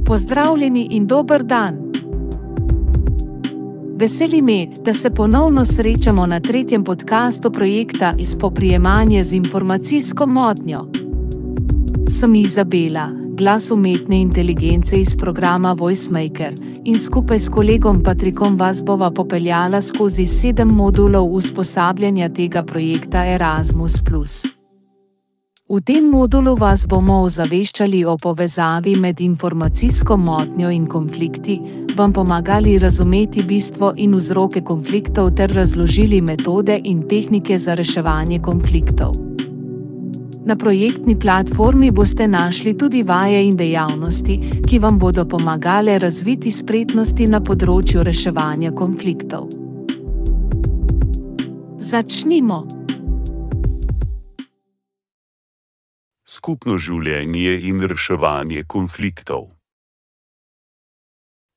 Pozdravljeni in dober dan! Veseli me, da se ponovno srečamo na tretjem podcastu projekta Spoprijemanje z informacijsko motnjo. Sem Izabela, glas umetne inteligence iz programa VoiceMaker, in skupaj s kolegom Patrikom vas bova popeljala skozi 7 modulov usposabljanja tega projekta Erasmus+. V tem modulu vas bomo ozaveščali o povezavi med informacijsko motnjo in konflikti, vam pomagali razumeti bistvo in vzroke konfliktov ter razložili metode in tehnike za reševanje konfliktov. Na projektni platformi boste našli tudi vaje in dejavnosti, ki vam bodo pomagale razviti spretnosti na področju reševanja konfliktov. Začnimo! Skupno življenje in reševanje konfliktov.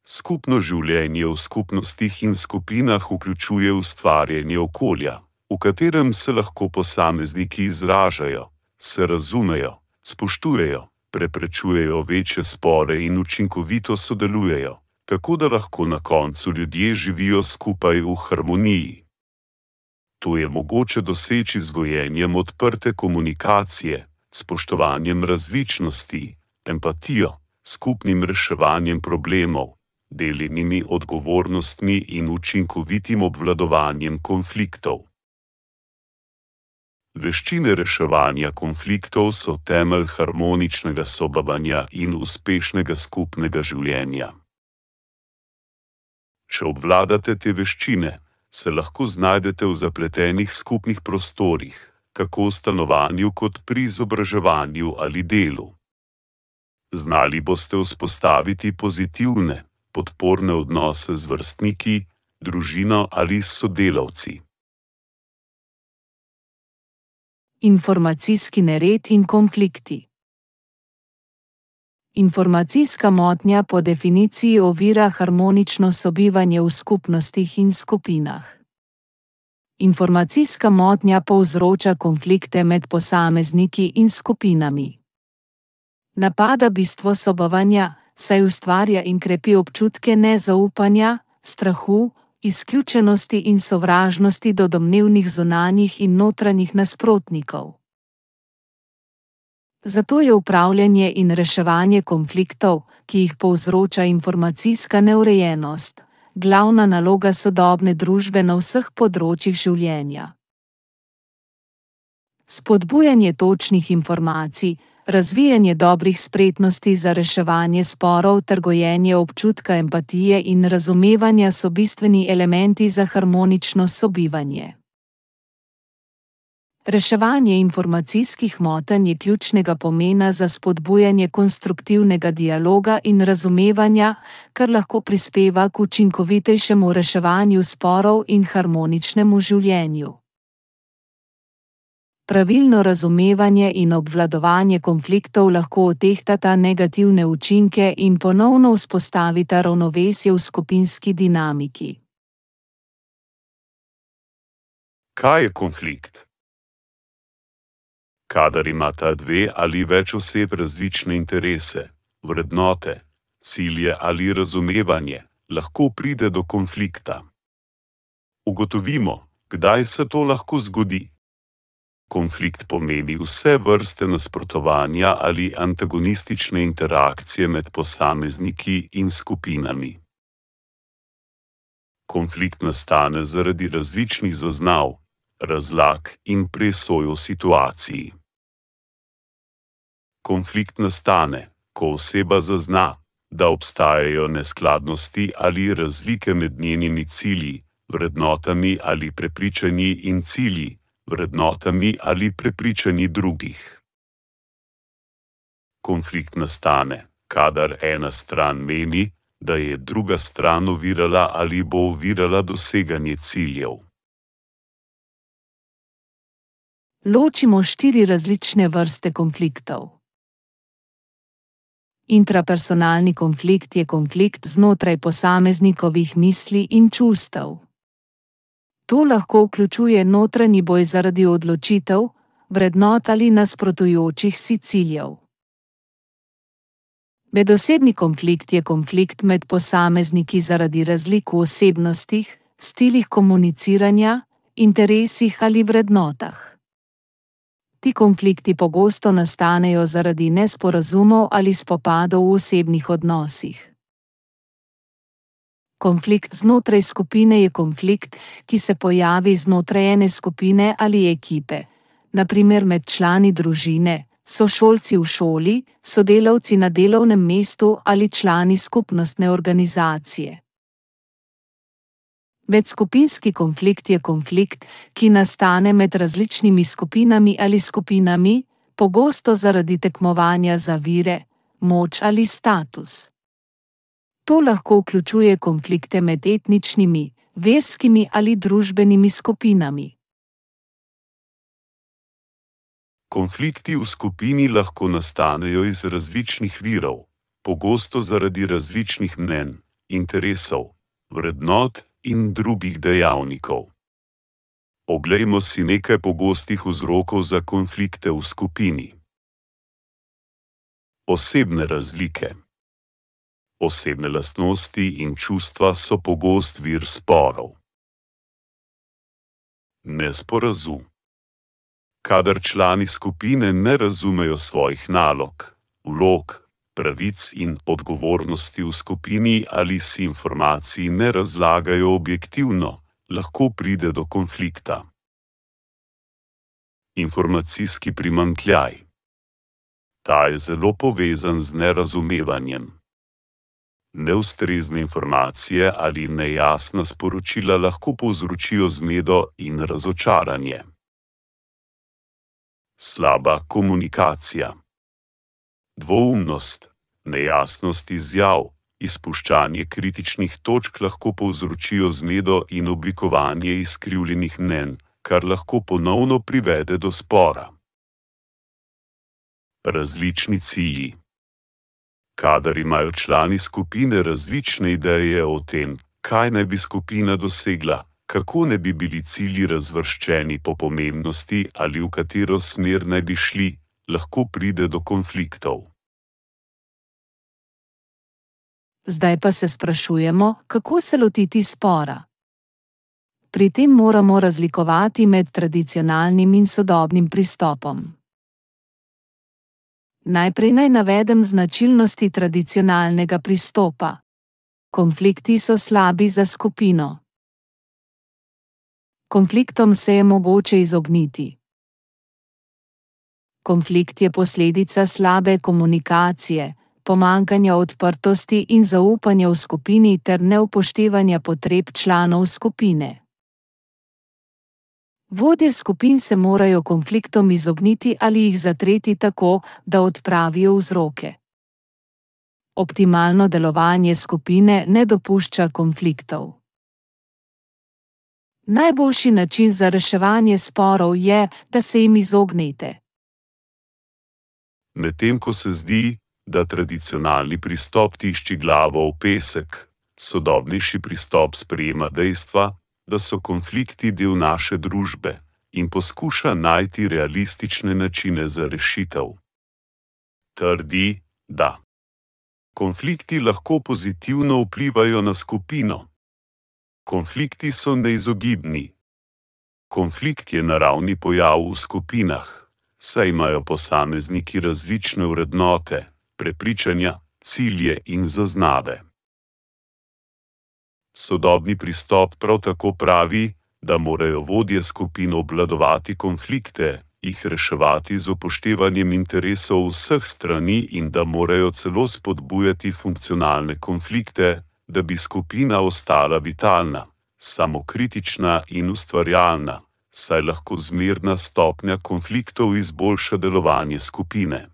Skupno življenje v skupnostih in skupinah vključuje ustvarjanje okolja, v katerem se lahko posamezniki izražajo, se razumejo, spoštujejo, preprečujejo večje spore in učinkovito sodelujejo, tako da lahko na koncu ljudje živijo skupaj v harmoniji. To je mogoče doseči z gojenjem odprte komunikacije, spoštovanjem različnosti, empatijo, skupnim reševanjem problemov, deljenimi odgovornostmi in učinkovitim obvladovanjem konfliktov. Veščine reševanja konfliktov so temelj harmoničnega sobivanja in uspešnega skupnega življenja. Če obvladate te veščine, se lahko znajdete v zapletenih skupnih prostorih, tako v stanovanju kot pri izobraževanju ali delu. Znali boste vzpostaviti pozitivne, podporne odnose z vrstniki, družino ali s sodelavci. Informacijski nered in konflikti. Informacijska motnja po definiciji ovira harmonično sobivanje v skupnostih in skupinah. Informacijska motnja povzroča konflikte med posamezniki in skupinami. Napada bistvo sobivanja, saj ustvarja in krepi občutke nezaupanja, strahu, izključenosti in sovražnosti do domnevnih zunanjih in notranjih nasprotnikov. Zato je upravljanje in reševanje konfliktov, ki jih povzroča informacijska neurejenost, glavna naloga sodobne družbe na vseh področjih življenja. Spodbujanje točnih informacij, razvijanje dobrih spretnosti za reševanje sporov ter gojenje občutka empatije in razumevanja so bistveni elementi za harmonično sobivanje. Reševanje informacijskih motenj je ključnega pomena za spodbujanje konstruktivnega dialoga in razumevanja, kar lahko prispeva k učinkovitejšemu reševanju sporov in harmoničnemu življenju. Pravilno razumevanje in obvladovanje konfliktov lahko odtehtata negativne učinke in ponovno vzpostavita ravnovesje v skupinski dinamiki. Kaj je konflikt? Kadar imata dve ali več oseb različne interese, vrednote, cilje ali razumevanje, lahko pride do konflikta. Ugotovimo, kdaj se to lahko zgodi. Konflikt pomeni vse vrste nasprotovanja ali antagonistične interakcije med posamezniki in skupinami. Konflikt nastane zaradi različnih zaznav, razlag in presoj v situaciji. Konflikt nastane, ko oseba zazna, da obstajajo neskladnosti ali razlike med njenimi cilji, vrednotami ali prepričanji in cilji, vrednotami ali prepričanji drugih. Konflikt nastane, kadar ena stran meni, da je druga stran ovirala ali bo ovirala doseganje ciljev. Ločimo 4 različne vrste konfliktov. Intrapersonalni konflikt je konflikt znotraj posameznikovih misli in čustev. To lahko vključuje notranji boj zaradi odločitev, vrednot ali nasprotujočih si ciljev. Medosebni konflikt je konflikt med posamezniki zaradi razlik v osebnostih, stilih komuniciranja, interesih ali vrednotah. Ti konflikti pogosto nastanejo zaradi nesporazumov ali spopadov v osebnih odnosih. Konflikt znotraj skupine je konflikt, ki se pojavi znotraj ene skupine ali ekipe, na primer med člani družine, sošolci v šoli, sodelavci na delovnem mestu ali člani skupnostne organizacije. Medskupinski konflikt je konflikt, ki nastane med različnimi skupinami ali skupinami, pogosto zaradi tekmovanja za vire, moč ali status. To lahko vključuje konflikte med etničnimi, verskimi ali družbenimi skupinami. Konflikti v skupini lahko nastanejo iz različnih virov, pogosto zaradi različnih mnenj, interesov, vrednot in drugih dejavnikov. Oglejmo si nekaj pogostih vzrokov za konflikte v skupini. Osebne razlike. Osebne lastnosti in čustva so pogost vir sporov. Nesporazum. Kadar člani skupine ne razumejo svojih nalog, vlog, pravic in odgovornosti v skupini ali si informacij ne razlagajo objektivno, lahko pride do konflikta. Informacijski primanjkljaj. Ta je zelo povezan z nerazumevanjem. Neustrezne informacije ali nejasna sporočila lahko povzročijo zmedo in razočaranje. Slaba komunikacija. Dvoumnost, nejasnost izjav, izpuščanje kritičnih točk lahko povzročijo zmedo in oblikovanje izkrivljenih mnenj, kar lahko ponovno privede do spora. Različni cilji. Kadar imajo člani skupine različne ideje o tem, kaj naj bi skupina dosegla, kako ne bi bili cilji razvrščeni po pomembnosti ali v katero smer naj bi šli, lahko pride do konfliktov. Zdaj pa se sprašujemo, kako se lotiti spora. Pri tem moramo razlikovati med tradicionalnim in sodobnim pristopom. Najprej naj navedem značilnosti tradicionalnega pristopa. Konflikti so slabi za skupino. Konfliktom se je mogoče izogniti. Konflikt je posledica slabe komunikacije, pomanjkanja odprtosti in zaupanja v skupini ter neupoštevanja potreb članov skupine. Vodje skupin se morajo konfliktom izogniti ali jih zatreti tako, da odpravijo vzroke. Optimalno delovanje skupine ne dopušča konfliktov. Najboljši način za reševanje sporov je, da se jim izognete. Medtem ko se zdi, da tradicionalni pristop tišči glavo v pesek, sodobnejši pristop sprejema dejstva, da so konflikti del naše družbe in poskuša najti realistične načine za rešitev. Trdi, da konflikti lahko pozitivno vplivajo na skupino. Konflikti so neizogibni. Konflikt je naravni pojav v skupinah, saj imajo posamezniki različne vrednote, prepričanja, cilje in zaznave. Sodobni pristop prav tako pravi, da morajo vodje skupin obvladovati konflikte, jih reševati z upoštevanjem interesov vseh strani in da morajo celo spodbujati funkcionalne konflikte, da bi skupina ostala vitalna, samokritična in ustvarjalna, saj lahko zmerna stopnja konfliktov izboljša delovanje skupine.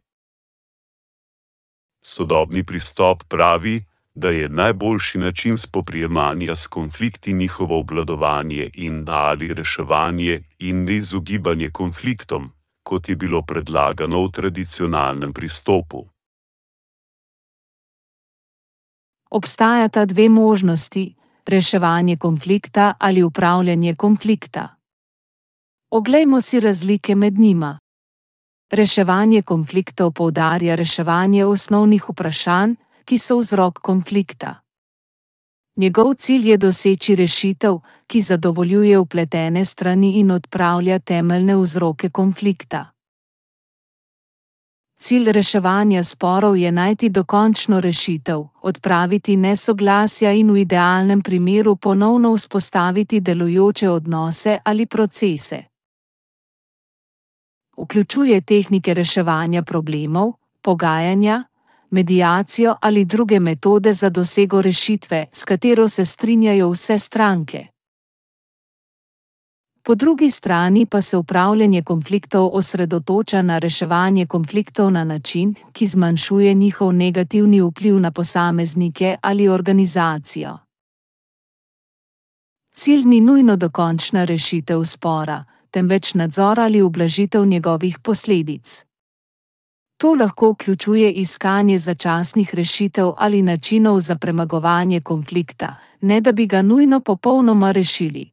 Sodobni pristop pravi, da je najboljši način spoprijemanja s konflikti njihovo obvladovanje in ali reševanje in neizogibanje konfliktom, kot je bilo predlagano v tradicionalnem pristopu. Obstajata dve možnosti, reševanje konflikta ali upravljanje konflikta. Oglejmo si razlike med njima. Reševanje konfliktov poudarja reševanje osnovnih vprašanj, ki so vzrok konflikta. Njegov cilj je doseči rešitev, ki zadovoljuje vpletene strani in odpravlja temeljne vzroke konflikta. Cilj reševanja sporov je najti dokončno rešitev, odpraviti nesoglasja in v idealnem primeru ponovno vzpostaviti delujoče odnose ali procese. Vključuje tehnike reševanja problemov, pogajanja, mediacijo ali druge metode za dosego rešitve, s katero se strinjajo vse stranke. Po drugi strani pa se upravljanje konfliktov osredotoča na reševanje konfliktov na način, ki zmanjšuje njihov negativni vpliv na posameznike ali organizacijo. Cilj ni nujno dokončna rešitev spora, temveč nadzor ali ublažitev njegovih posledic. To lahko vključuje iskanje začasnih rešitev ali načinov za premagovanje konflikta, ne da bi ga nujno popolnoma rešili.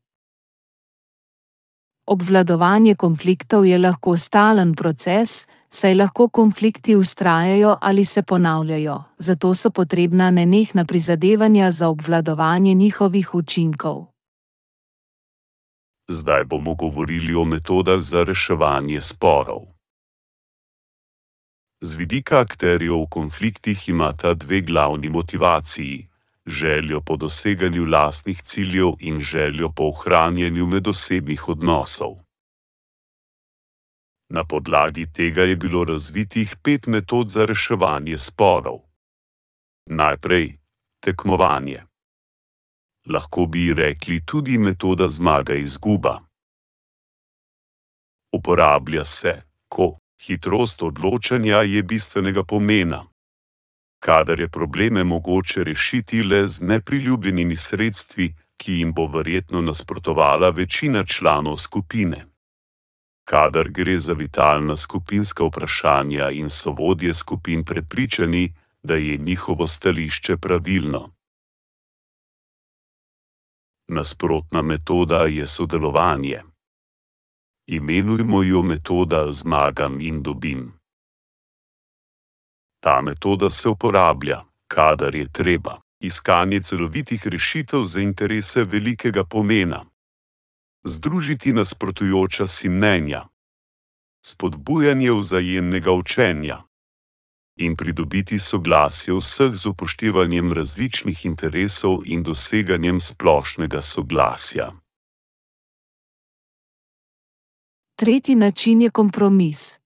Obvladovanje konfliktov je lahko stalen proces, saj lahko konflikti vztrajajo ali se ponavljajo, zato so potrebna nenehna prizadevanja za obvladovanje njihovih učinkov. Zdaj bomo govorili o metodah za reševanje sporov. Z vidika akterjev v konfliktih imata dve glavni motivaciji: željo po doseganju lastnih ciljev in željo po ohranjanju medosebnih odnosov. Na podlagi tega je bilo razvitih 5 metod za reševanje sporov. Najprej tekmovanje. Lahko bi rekli tudi metoda zmaga-izguba. Uporablja se, ko hitrost odločanja je bistvenega pomena, kadar je probleme mogoče rešiti le z nepriljubljenimi sredstvi, ki jim bo verjetno nasprotovala večina članov skupine. Kadar gre za vitalna skupinska vprašanja in so vodje skupin prepričani, da je njihovo stališče pravilno. Nasprotna metoda je sodelovanje. Imenujmo jo metoda zmagam in dobim. Ta metoda se uporablja, kadar je treba, iskanje celovitih rešitev za interese velikega pomena, združiti nasprotujoča si mnenja, spodbujanje vzajemnega učenja in pridobiti soglasje vseh z upoštevanjem različnih interesov in doseganjem splošnega soglasja. Tretji način je kompromis.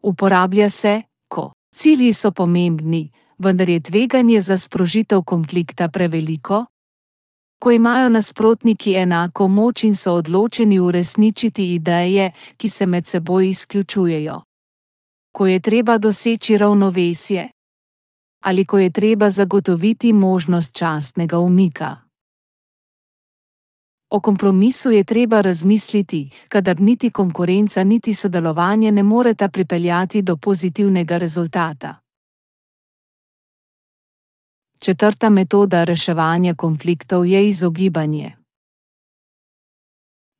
Uporablja se, ko cilji so pomembni, vendar je tveganje za sprožitev konflikta preveliko, ko imajo nasprotniki enako moč in so odločeni uresničiti ideje, ki se med seboj izključujejo, ko je treba doseči ravnovesje, ali ko je treba zagotoviti možnost častnega umika. O kompromisu je treba razmisliti, kadar niti konkurenca niti sodelovanje ne moreta pripeljati do pozitivnega rezultata. Četrta metoda reševanja konfliktov je izogibanje.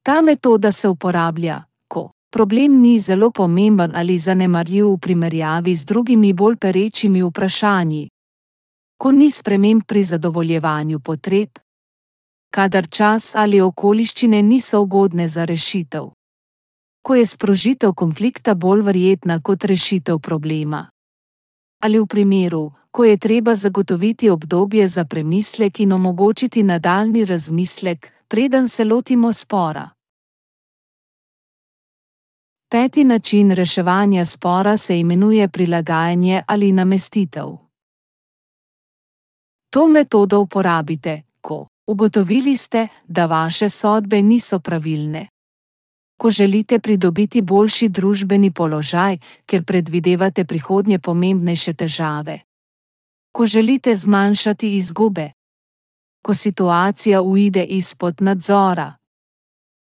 Ta metoda se uporablja, ko problem ni zelo pomemben ali zanemarljiv v primerjavi z drugimi bolj perečimi vprašanji, ko ni sprememb pri zadovoljevanju potreb, kadar čas ali okoliščine niso ugodne za rešitev, ko je sprožitev konflikta bolj verjetna kot rešitev problema, ali v primeru, ko je treba zagotoviti obdobje za premislek in omogočiti nadaljnji razmislek, preden se lotimo spora. Peti način reševanja spora se imenuje prilagajanje ali namestitev. To metodo uporabite, ko ugotovili ste, da vaše sodbe niso pravilne, ko želite pridobiti boljši družbeni položaj, ker predvidevate prihodnje pomembnejše težave, ko želite zmanjšati izgube, ko situacija uide izpod nadzora,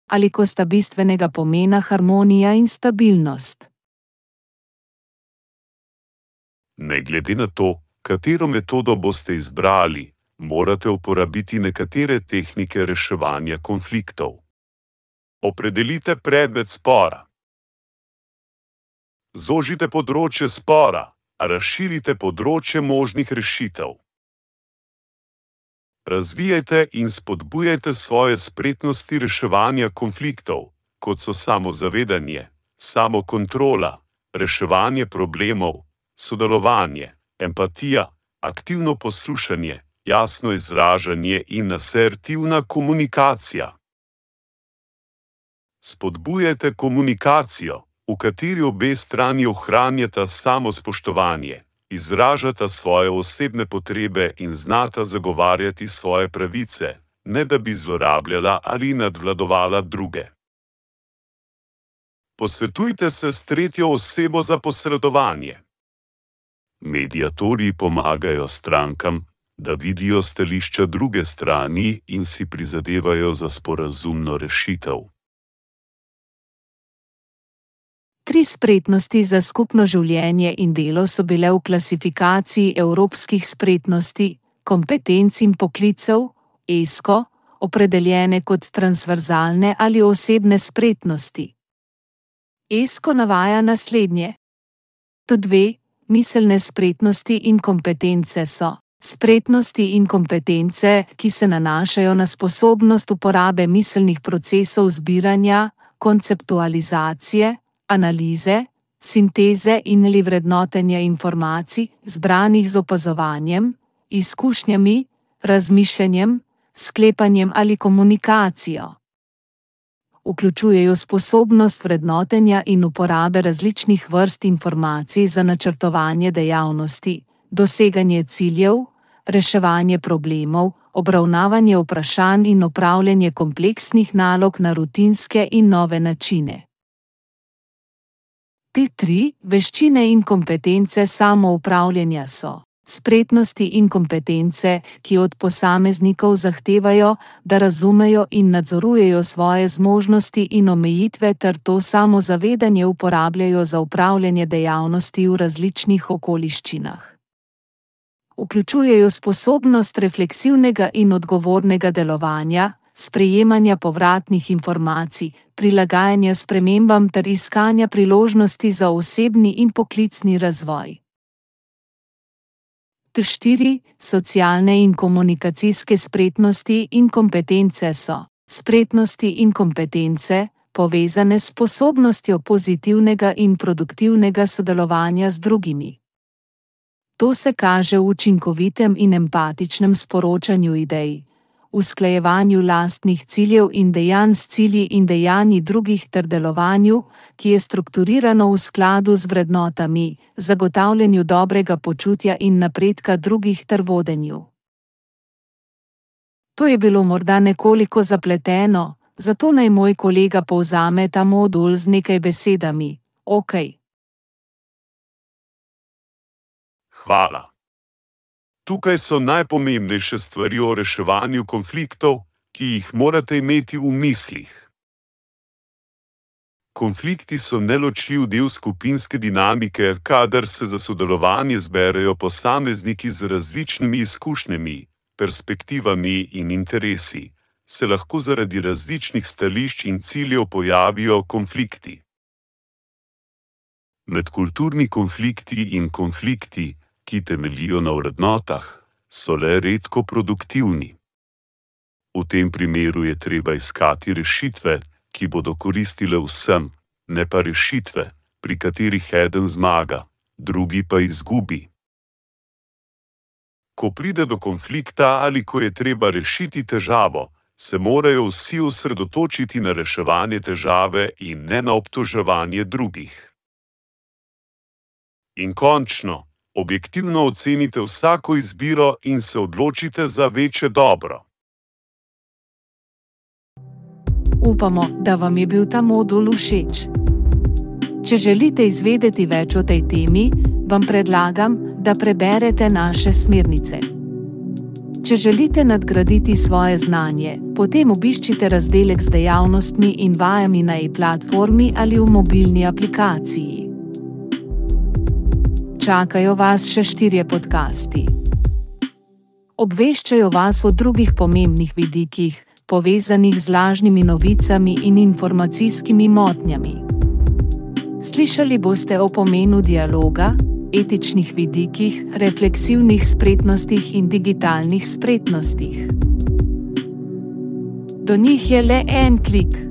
ali ko sta bistvenega pomena harmonija in stabilnost. Ne glede na to, katero metodo boste izbrali, morate uporabiti nekatere tehnike reševanja konfliktov. Opredelite predmet spora. Zožite področje spora, a razširite področje možnih rešitev. Razvijajte in spodbujajte svoje spretnosti reševanja konfliktov, kot so samozavedanje, samokontrola, reševanje problemov, sodelovanje, empatija, aktivno poslušanje, jasno izražanje in asertivna komunikacija. Spodbujajte komunikacijo, v kateri obe strani ohranjata samospoštovanje, izražata svoje osebne potrebe in znata zagovarjati svoje pravice, ne da bi zlorabljala ali nadvladovala druge. Posvetujte se s tretjo osebo za posredovanje. Mediatorji pomagajo strankam, da vidijo stališča druge strani in si prizadevajo za sporazumno rešitev. 3 spretnosti za skupno življenje in delo so bile v klasifikaciji evropskih spretnosti, kompetenc in poklicev, ESCO, opredeljene kot transverzalne ali osebne spretnosti. ESCO navaja naslednje. T2 miselne spretnosti in kompetence so spretnosti in kompetence, ki se nanašajo na sposobnost uporabe miselnih procesov zbiranja, konceptualizacije, analize, sinteze in ali vrednotenja informacij, zbranih z opazovanjem, izkušnjami, razmišljanjem, sklepanjem ali komunikacijo. Vključujejo sposobnost vrednotenja in uporabe različnih vrst informacij za načrtovanje dejavnosti, doseganje ciljev, reševanje problemov, obravnavanje vprašanj in opravljanje kompleksnih nalog na rutinske in nove načine. Te 3 veščine in kompetence samoupravljanja so spretnosti in kompetence, ki od posameznikov zahtevajo, da razumejo in nadzorujejo svoje zmožnosti in omejitve ter to samozavedanje uporabljajo za upravljanje dejavnosti v različnih okoliščinah. Vključujejo sposobnost refleksivnega in odgovornega delovanja, sprejemanja povratnih informacij, prilagajanja spremembam ter iskanja priložnosti za osebni in poklicni razvoj. 4 socialne in komunikacijske spretnosti in kompetence so spretnosti in kompetence, povezane s sposobnostjo pozitivnega in produktivnega sodelovanja z drugimi. To se kaže v učinkovitem in empatičnem sporočanju idej, usklajevanju lastnih ciljev in dejanj s cilji in dejanji drugih ter delovanju, ki je strukturirano v skladu z vrednotami, zagotavljanju dobrega počutja in napredka drugih ter vodenju. To je bilo morda nekoliko zapleteno, zato naj moj kolega povzame ta modul z nekaj besedami. Okej. Hvala. Tukaj so najpomembnejše stvari o reševanju konfliktov, ki jih morate imeti v mislih. Konflikti so neločljiv del skupinske dinamike, kadar se za sodelovanje zberejo posamezniki z različnimi izkušnjami, perspektivami in interesi, se lahko zaradi različnih stališč in ciljev pojavijo konflikti. Medkulturni konflikti in konflikti, ki temeljijo na vrednotah, so le redko produktivni. V tem primeru je treba iskati rešitve, ki bodo koristile vsem, ne pa rešitve, pri katerih eden zmaga, drugi pa izgubi. Ko pride do konflikta ali ko je treba rešiti težavo, se morajo vsi osredotočiti na reševanje težave in ne na obtoževanje drugih. In končno, objektivno ocenite vsako izbiro in se odločite za večje dobro. Upamo, da vam je bil ta modul všeč. Če želite izvedeti več o tej temi, vam predlagam, da preberete naše smernice. Če želite nadgraditi svoje znanje, potem obiščite razdelek z dejavnostmi in vajami na e-platformi ali v mobilni aplikaciji. Čakajo vas še 4 podcasti. Obveščajo vas o drugih pomembnih vidikih, povezanih z lažnimi novicami in informacijskimi motnjami. Slišali boste o pomenu dialoga, etičnih vidikih, refleksivnih spretnostih in digitalnih spretnostih. Do njih je le en klik.